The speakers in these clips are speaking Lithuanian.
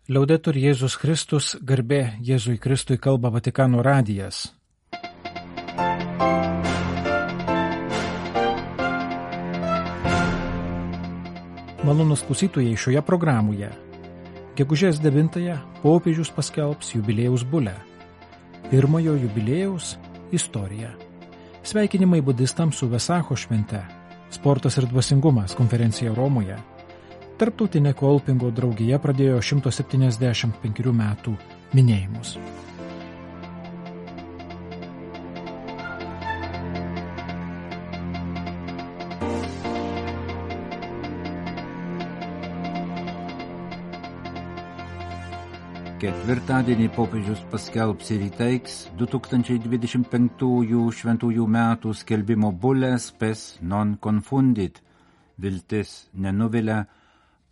Liaudetur Jėzus Kristus, garbė Jėzui Kristui, kalba Vatikano radijas. Malonūs klausytojai, šioje programoje gegužės 9-ąją popiežius paskelbs jubiliejaus bulę. Pirmojo jubiliejaus istorija. Sveikinimai budistams su Vesacho švente. Sportas ir dvasingumas konferencija Romoje. Tarptautinė kolpingo draugija pradėjo 175 metų minėjimus. Ketvirtadienį popiežius paskelbs ir įteiks 2025 šventųjų metų skelbimo bulę Spes non confundit. Viltis nenuvilia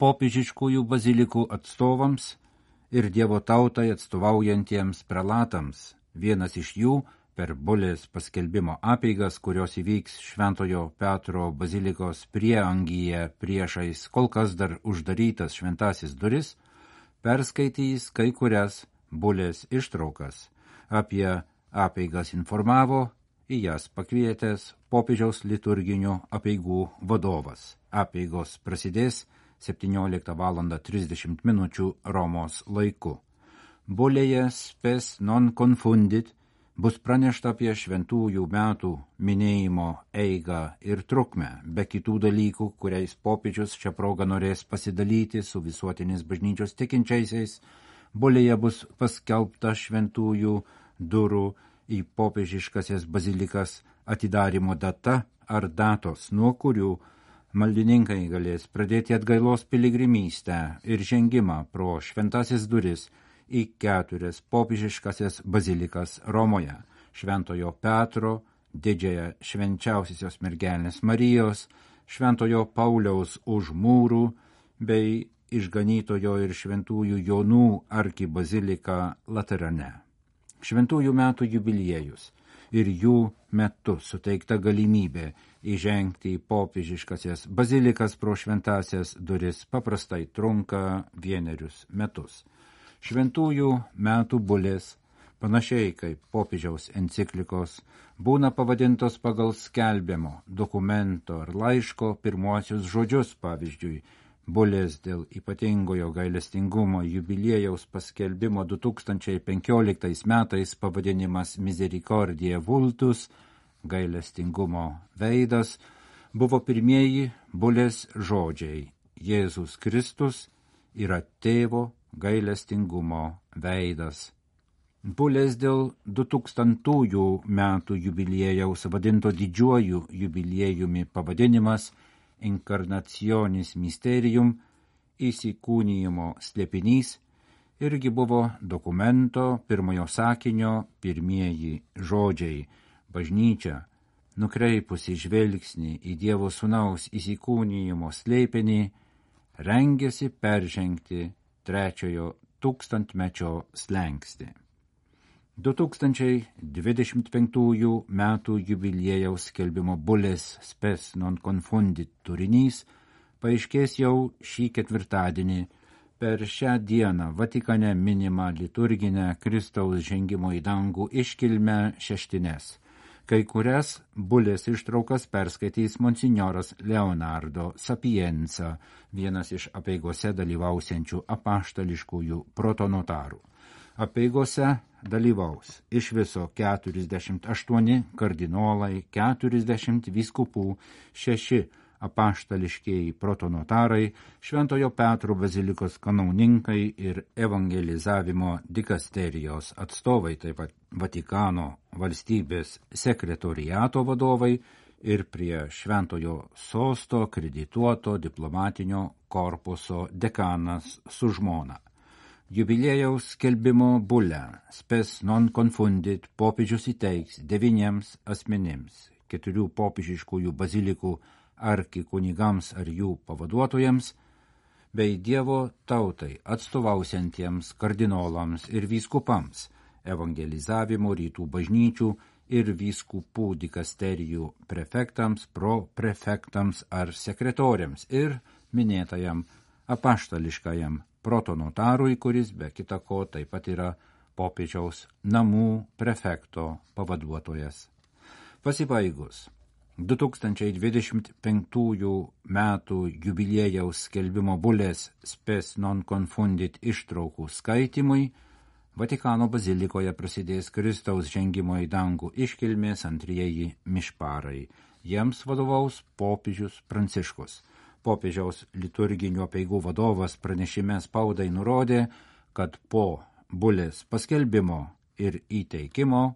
popiežiškųjų bazilikų atstovams ir Dievo tautai atstovaujantiems prelatams. Vienas iš jų per bulės paskelbimo apeigas, kurios įvyks Šventojo Petro bazilikos prieangyje priešais kol kas dar uždarytas šventasis duris, perskaitys kai kurias bulės ištraukas. Apie apeigas informavo į jas pakvietęs popiežiaus liturginių apeigų vadovas. Apeigos prasidės 17:30 Romos laiku. Bulėje Spes non confundit bus pranešta apie šventųjų metų minėjimo eigą ir trukmę, be kitų dalykų, kuriais popiežius šią progą norės pasidalyti su visuotinės bažnyčios tikinčiaisiais. Bulėje bus paskelbta šventųjų durų į popiežiškasias bazilikas atidarymo data ar datos, nuo kurių maldininkai galės pradėti atgailos piligrimystę ir žengimą pro šventasis duris į 4 popiežiškasias bazilikas Romoje: Šventojo Petro, Didžiąją švenčiausiosios mergelės Marijos, Šventojo Pauliaus už mūrų bei Išganytojo ir Šventųjų Jonų arkibazilika Laterane. Šventųjų metų jubiliejus ir jų metu suteikta galimybė įžengti į popiežiškasias bazilikas pro šventasias duris paprastai trunka 1 metus. Šventųjų metų bulės, panašiai kaip popiežiaus enciklikos, būna pavadintos pagal skelbiamo dokumento ar laiško pirmuosius žodžius, pavyzdžiui, bulės dėl ypatingojo gailestingumo jubiliejaus paskelbimo 2015 metais pavadinimas Misericordiae Vultus, gailestingumo veidas, buvo pirmieji bulės žodžiai: Jėzus Kristus yra tėvo gailestingumo veidas. Bulės dėl 2000 metų jubiliejaus vadinto didžiuoju jubiliejumi pavadinimas Incarnationis Mysterium, įsikūnijimo slėpinys, irgi buvo dokumento pirmojo sakinio pirmieji žodžiai. Bažnyčia, nukreipusi žvelgsnį į Dievo Sūnaus įsikūnijimo slėpinį, rengėsi peržengti 3 tūkstantmečio slenkstį. 2025 metų jubiliejaus skelbimo bulės Spes non confundit turinys paaiškės jau šį ketvirtadienį per šią dieną Vatikane minimą liturginę Kristaus žengimo į dangų iškilmę šeštines. Kai kurias bulės ištraukas perskaitys monsinjoras Leonardo Sapienza, vienas iš apeigose dalyvausiančių apaštališkųjų protonotarų. Apeigose dalyvaus iš viso 48 kardinolai, 40 vyskupų, 6 apaštališkieji protonotarai, Šventojo Petro bazilikos kanauninkai ir evangelizavimo dikasterijos atstovai, taip pat Vatikano valstybės sekretoriato vadovai ir prie Šventojo sosto kredituoto diplomatinio korpuso dekanas su žmona. Jubiliejaus skelbimo bulę Spes non confundit popiežius įteiks 9 asmenims, 4 popiežiškųjų bazilikų arkikunigams ar jų pavaduotojams, bei Dievo tautai atstovausiantiems kardinolams ir vyskupams, evangelizavimo rytų bažnyčių ir vyskupų dikasterijų prefektams, proprefektams ar sekretoriams ir minėtajam apaštališkajam protonotarui, kuris be kita ko taip pat yra popiežiaus namų prefekto pavaduotojas. Pasibaigus 2025 metų jubiliejaus skelbimo bulės Spes non confundit ištraukų skaitimui, Vatikano bazilikoje prasidės Kristaus žengimo į dangų iškilmės antrieji mišparai. Jiems vadovaus popiežius Pranciškus. Popiežiaus liturginių apeigų vadovas pranešime spaudai nurodė, kad po bulės paskelbimo ir įteikimo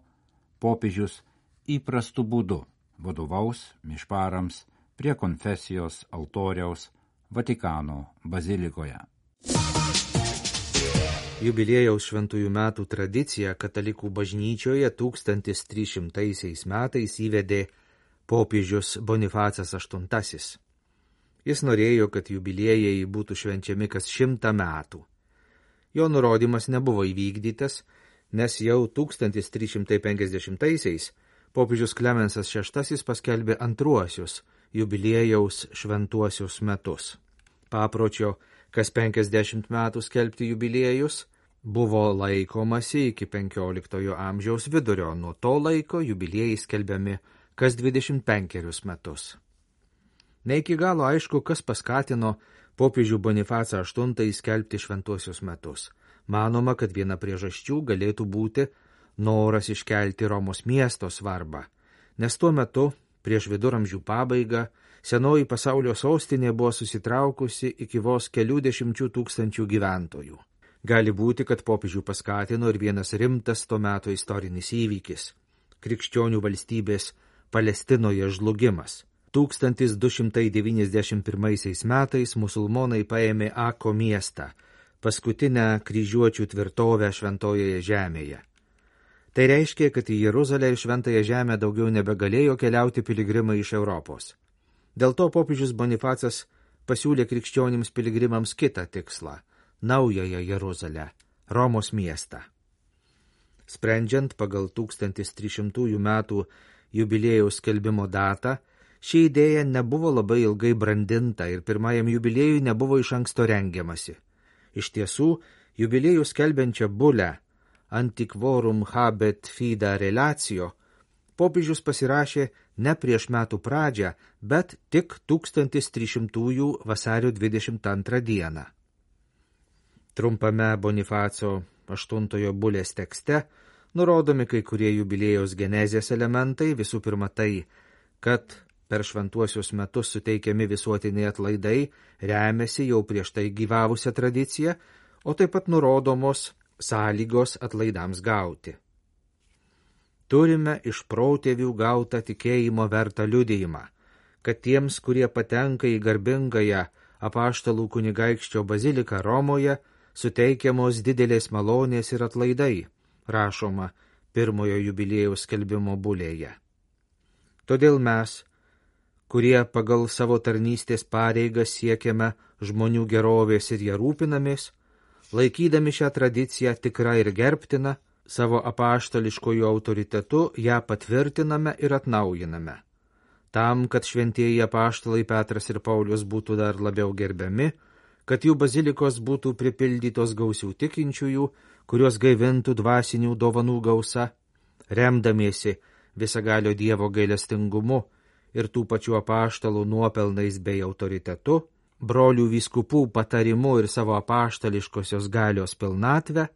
popiežius įprastu būdu vadovaus mišparams prie konfesijos altoriaus Vatikano bazilikoje. Jubiliejaus šventųjų metų tradiciją katalikų bažnyčioje 1300 metais įvedė popiežius Bonifacas VIII. Jis norėjo, kad jubiliejai būtų švenčiami kas 100 metų. Jo nurodymas nebuvo įvykdytas, nes jau 1350-aisiais popiežius Klemensas VI paskelbė antruosius jubiliejaus šventuosius metus. Papročio kas 50 metų skelbti jubiliejus buvo laikomasi iki 15 amžiaus vidurio, nuo to laiko jubiliejai skelbiami kas 25 metus. Ne iki galo aišku, kas paskatino popiežių Bonifacą VIII skelbti šventuosius metus. Manoma, kad viena priežasčių galėtų būti noras iškelti Romos miesto svarbą, nes tuo metu, prieš viduramžių pabaigą, senoji pasaulio sostinė buvo susitraukusi iki vos kelių 10 000 gyventojų. Gali būti, kad popiežių paskatino ir vienas rimtas to meto istorinis įvykis – krikščionių valstybės Palestinoje žlugimas. 1291 metais musulmonai paėmė Ako miestą, paskutinę kryžiuočių tvirtovę šventojoje žemėje. Tai reiškia, kad į Jeruzalę ir šventąją žemę daugiau nebegalėjo keliauti piligrimai iš Europos. Dėl to popiežius Bonifacas pasiūlė krikščionims piligrimams kitą tikslą – naująją Jeruzalę, Romos miestą. Sprendžiant pagal 1300 metų jubiliejaus skelbimo datą, ši idėja nebuvo labai ilgai brandinta ir pirmajam jubiliejui nebuvo iš anksto rengiamasi. Iš tiesų, jubiliejų skelbiančią bulę Antiquorum habet fida relatio popiežius pasirašė ne prieš metų pradžią, bet tik 1300 vasario 22 dieną. Trumpame Bonifaco VIII bulės tekste nurodomi kai kurie jubiliejaus genezės elementai, visų pirma tai, kad per šventuosius metus suteikiami visuotiniai atlaidai remiasi jau prieš tai gyvavusią tradiciją, o taip pat nurodomos sąlygos atlaidams gauti. Turime iš protėvių gautą tikėjimo vertą liudijimą, kad tiems, kurie patenka į garbingąją apaštalų kunigaikščio baziliką Romoje, suteikiamos didelės malonės ir atlaidai, rašoma pirmojo jubiliejaus skelbimo bulėje. Todėl mes, kurie pagal savo tarnystės pareigas siekiame žmonių gerovės ir ją rūpinamės, laikydami šią tradiciją tikrą ir gerbtiną, savo apaštališkojų autoritetu ją patvirtiname ir atnaujiname. Tam, kad šventieji apaštalai Petras ir Paulius būtų dar labiau gerbiami, kad jų bazilikos būtų pripildytos gausių tikinčiųjų, kurios gaivintų dvasinių dovanų gausa, remdamiesi visagalio Dievo gailestingumu ir tų pačių apaštalų nuopelnais bei autoritetu, brolių vyskupų patarimu ir savo apaštališkosios galios pilnatvę,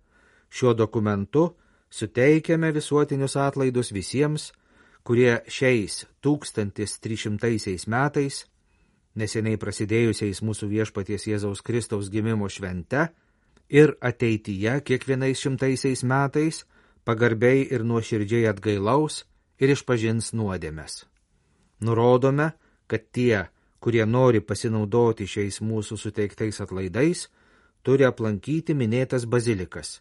šiuo dokumentu suteikiame visuotinius atlaidus visiems, kurie šiais 1300 metais, neseniai prasidėjusiais mūsų viešpaties Jėzaus Kristaus gimimo švente, ir ateityje kiekvienais 100 metais pagarbiai ir nuoširdžiai atgailaus ir išpažins nuodėmes. Nurodome, kad tie, kurie nori pasinaudoti šiais mūsų suteiktais atlaidais, turi aplankyti minėtas bazilikas.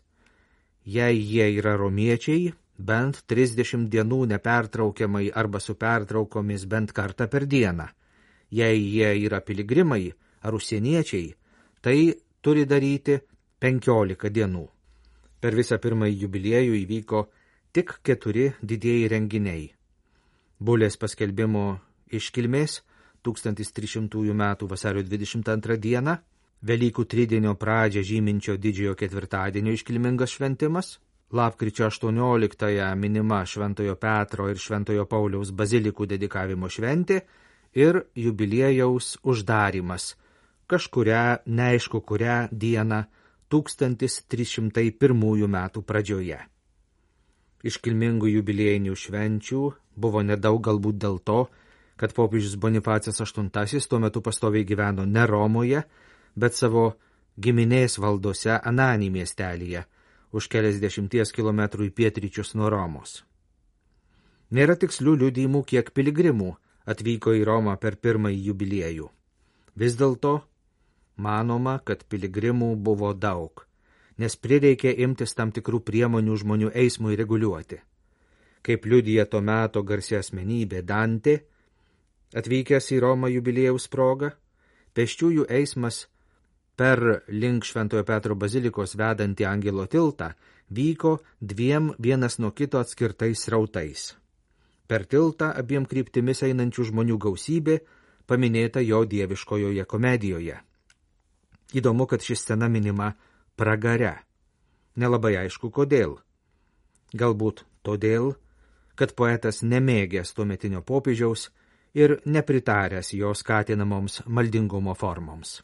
Jei jie yra romiečiai, bent 30 dienų nepertraukiamai arba su pertraukomis bent kartą per dieną. Jei jie yra piligrimai ar užsieniečiai, tai turi daryti 15 dienų. Per visą pirmąjį jubiliejų įvyko tik 4 didieji renginiai. Bulės paskelbimo iškilmės 1300 metų vasario 22 dieną, Velykų tridienio pradžią žyminčio didžiojo ketvirtadienio iškilmingas šventimas, lapkričio 18-ąją minima Šventojo Petro ir Šventojo Pauliaus bazilikų dedikavimo šventė ir jubiliejaus uždarimas kažkurią, neaišku kurią dieną 1301 metų pradžioje. Iškilmingų jubiliejinių švenčių buvo nedaug galbūt dėl to, kad popiežius Bonifacas VIII tuo metu pastoviai gyveno ne Romoje, bet savo giminės valdose Anani miestelyje, už keliasdešimties kilometrų į pietryčius nuo Romos. Nėra tikslių liudijimų, kiek piligrimų atvyko į Romą per pirmąjį jubiliejų. Vis dėlto manoma, kad piligrimų buvo daug, nes prireikė imtis tam tikrų priemonių žmonių eismui reguliuoti. Kaip liudija to meto garsi asmenybė Dantė, atvykęs į Romą jubiliejaus proga, pėsčiųjų eismas per link Šventojo Petro bazilikos vedantį Angelo tiltą vyko dviem vienas nuo kito atskirtais srautais. Per tiltą abiem kryptimis einančių žmonių gausybė paminėta jo dieviškojoje komedijoje. Įdomu, kad ši scena minima pragare. Nelabai aišku kodėl. Galbūt todėl, kad poetas nemėgęs tuometinio popiežiaus ir nepritaręs jo skatinamoms maldingumo formoms.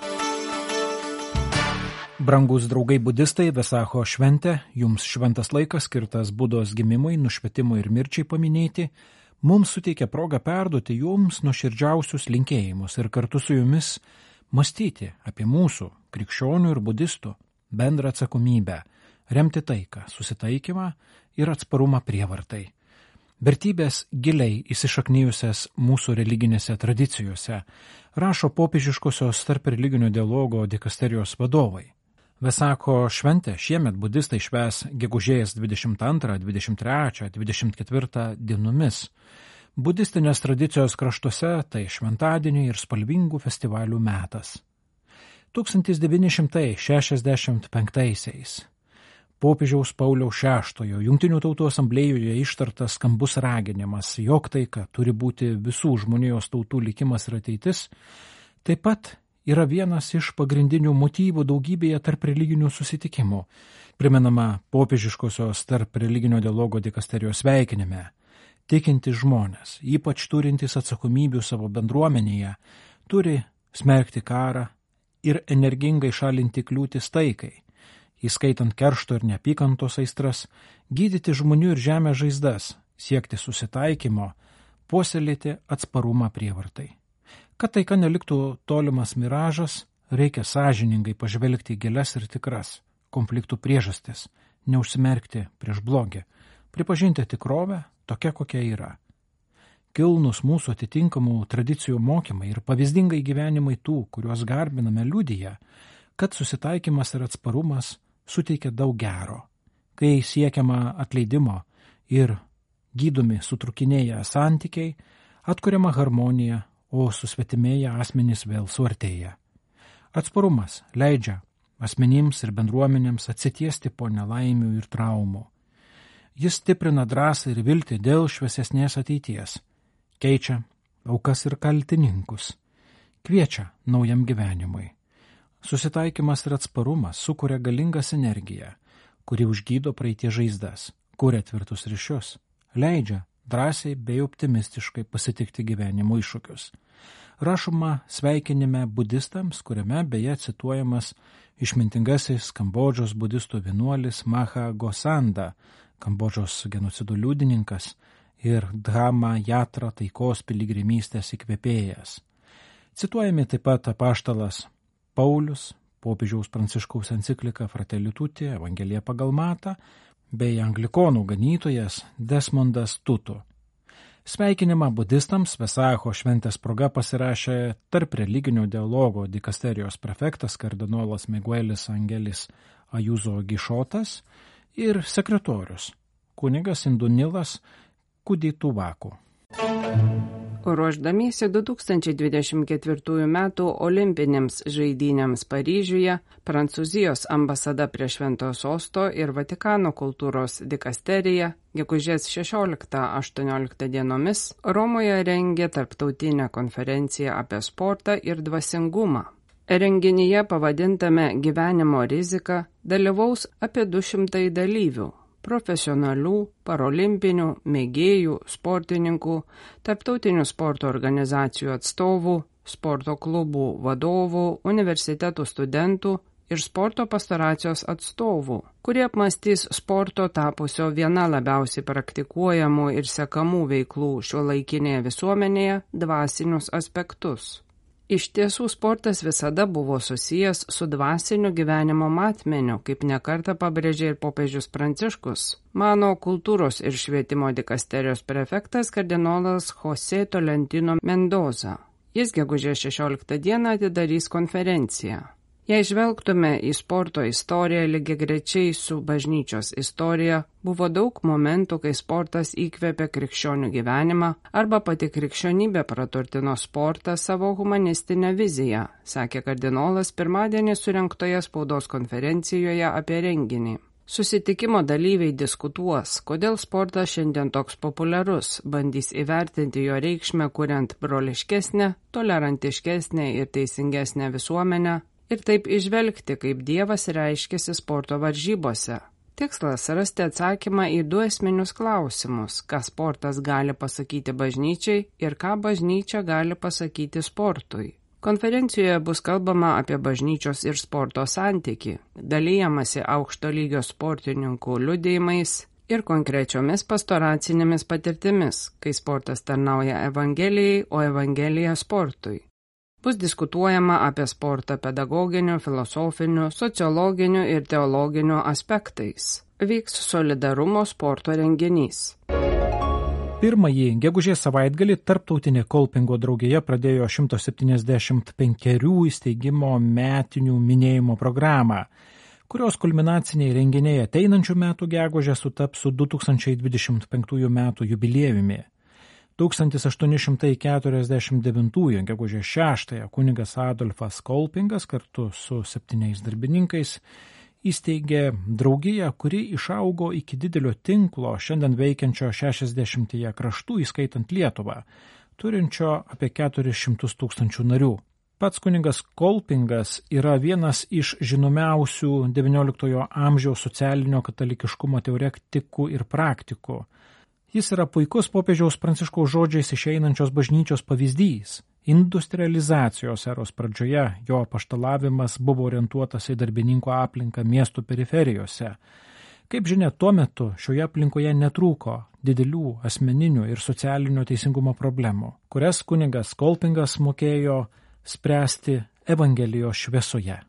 Brangus draugai budistai, Vesacho šventė, jums šventas laikas skirtas Budos gimimui, nušvietimui ir mirčiai paminėti, mums suteikia progą perduoti jums nuoširdžiausius linkėjimus ir kartu su jumis mąstyti apie mūsų, krikščionių ir budistų, bendrą atsakomybę, remti taiką, susitaikymą ir atsparumą prievartai. Vertybės giliai įsišaknijusias mūsų religinėse tradicijose, rašo popiežiškosios tarp religinio dialogo dikasterijos vadovai. Vesako šventę šiemet budistai švęs gegužės 22, 23, 24 dienomis. Budistinės tradicijos kraštuose tai šventadieniai ir spalvingų festivalių metas. 1965-aisiais popiežiaus Pauliaus VI Jungtinių tautų asamblėjoje ištartas skambus raginimas, jog taika turi būti visų žmonijos tautų likimas ir ateitis, taip pat yra vienas iš pagrindinių motyvų daugybėje tarp religinių susitikimų, primenama popiežiškosios tarp religinio dialogo dikasterijos sveikinime. Tikintis žmonės, ypač turintys atsakomybių savo bendruomenėje, turi smerkti karą ir energingai šalinti kliūtis taikai, įskaitant keršto ir neapykantos aistras, gydyti žmonių ir žemės žaizdas, siekti susitaikymo, puoselėti atsparumą prievartai. Kad taika neliktų tolimas miražas, reikia sąžiningai pažvelgti į gilias ir tikras konfliktų priežastis, neužsimerkti prieš blogį, pripažinti tikrovę tokia, kokia yra. Kilnus mūsų atitinkamų tradicijų mokymai ir pavyzdingai gyvenimai tų, kuriuos garbiname, liudija, kad susitaikymas ir atsparumas suteikia daug gero, kai siekiama atleidimo ir gydomi sutrukinėję santykiai, atkuriama harmonija, o susvetimėję asmenys vėl suartėja. Atsparumas leidžia asmenims ir bendruomenėms atsitiesti po nelaimių ir traumų. Jis stiprina drąsą ir viltį dėl šviesesnės ateities, keičia aukas ir kaltininkus, kviečia naujam gyvenimui. Susitaikymas ir atsparumas sukuria galingą sinergiją, kuri užgydo praeities žaizdas, kuria tvirtus ryšius, leidžia drąsiai bei optimistiškai pasitikti gyvenimo iššūkius. Rašoma sveikinime budistams, kuriame beje cituojamas išmintingasis Kambodžos budistų vienuolis Maha Gosanda, Kambodžos genocidų liudininkas ir Dhama Jatra taikos piligrimystės įkvėpėjas. Cituojami taip pat apaštalas Paulius, popiežiaus Pranciškaus enciklika Fratelli Tutti, Evangelija pagal Matą, bei anglikonų ganytojas Desmondas Tutu. Sveikinimą budistams Vesacho šventės proga pasirašė tarp religinio dialogo dikasterijos prefektas kardinolas Miguelis Angelis Ajuzo Gišotas ir sekretorius kunigas Indunilas Kudituvaku. Ruošdamiesi 2024 metų olimpinėms žaidynėms Paryžiuje, Prancūzijos ambasada prie Šventojo Sosto ir Vatikano kultūros dikasterija gegužės 16-18 dienomis Romoje rengė tarptautinę konferenciją apie sportą ir dvasingumą. Renginyje pavadintame Gyvenimo rizika dalyvaus apie 200 dalyvių – profesionalių, parolimpinių, mėgėjų, sportininkų, tarptautinių sporto organizacijų atstovų, sporto klubų vadovų, universitetų studentų ir sporto pastoracijos atstovų, kurie apmąstys sporto tapusio viena labiausiai praktikuojamų ir sekamų veiklų šiuolaikinėje visuomenėje dvasinius aspektus. Iš tiesų, sportas visada buvo susijęs su dvasiniu gyvenimo matmeniu, kaip nekartą pabrėžė ir popiežius Pranciškus, mano kultūros ir švietimo dikasterijos prefektas kardinolas José Tolentino Mendoza. Jis gegužės 16 dieną atidarys konferenciją. Jei žvelgtume į sporto istoriją lygiagrečiai su bažnyčios istorija, buvo daug momentų, kai sportas įkvėpė krikščionių gyvenimą arba pati krikščionybė praturtino sportą savo humanistinę viziją, sakė kardinolas pirmadienį surengtoje spaudos konferencijoje apie renginį. Susitikimo dalyviai diskutuos, kodėl sportas šiandien toks populiarus, bandys įvertinti jo reikšmę, kuriant broliškesnę, tolerantiškesnę ir teisingesnę visuomenę, ir taip išvelgti, kaip Dievas reiškiasi sporto varžybose. Tikslas – rasti atsakymą į 2 esminius klausimus, ką sportas gali pasakyti bažnyčiai ir ką bažnyčia gali pasakyti sportui. Konferencijoje bus kalbama apie bažnyčios ir sporto santykį, dalijamasi aukšto lygio sportininkų liudijimais ir konkrečiomis pastoracinėmis patirtimis, kai sportas tarnauja Evangelijai, o Evangelija sportui. Bus diskutuojama apie sportą pedagoginiu, filosofiniu, sociologiniu ir teologiniu aspektais. Vyks solidarumo sporto renginys. Pirmąjį gegužės savaitgalį Tarptautinė Kolpingo draugija pradėjo 175 įsteigimo metinių minėjimo programą, kurios kulminaciniai renginiai ateinančių metų gegužę sutaps su 2025 metų jubiliejumi. 1849 gegužės 6 kunigas Adolfas Kolpingas kartu su 7 darbininkais įsteigė draugiją, kuri išaugo iki didelio tinklo šiandien veikiančio 60 kraštų, įskaitant Lietuvą, turinčio apie 400 000 narių. Pats kunigas Kolpingas yra vienas iš žinomiausių XIX amžiaus socialinio katalikiškumo teoretikų ir praktikų. Jis yra puikus popiežiaus Pranciškaus žodžiais išeinančios bažnyčios pavyzdys. Industrializacijos eros pradžioje jo apaštalavimas buvo orientuotas į darbininkų aplinką miestų periferijose. Kaip žinia, tuo metu šioje aplinkoje netrūko didelių asmeninių ir socialinio teisingumo problemų, kurias kunigas Kolpingas mokėjo spręsti Evangelijos šviesoje.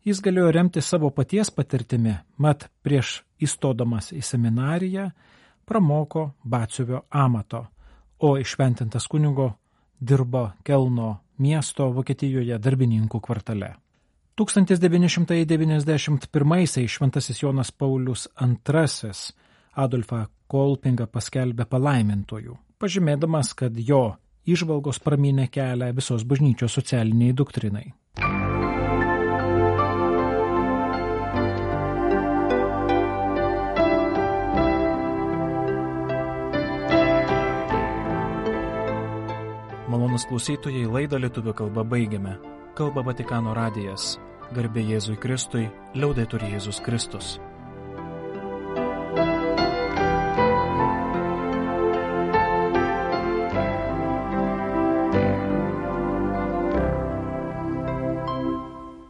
Jis galėjo remti savo paties patirtimi, mat prieš įstodamas į seminariją pramoko batsiuvio amato, o iššventintas kunigo dirbo Kelno miesto Vokietijoje darbininkų kvartale. 1991 šventasis Jonas Paulius II Adolfą Kolpingą paskelbė palaimintuoju, pažymėdamas, kad jo įžvalgos pramynė kelią visos bažnyčios socialiniai doktrinai. Malonūs klausytojai, laidą lietuvių kalba baigiame. Kalba Vatikano radijas. Garbė Jėzui Kristui, liaudetur Jėzus Kristus.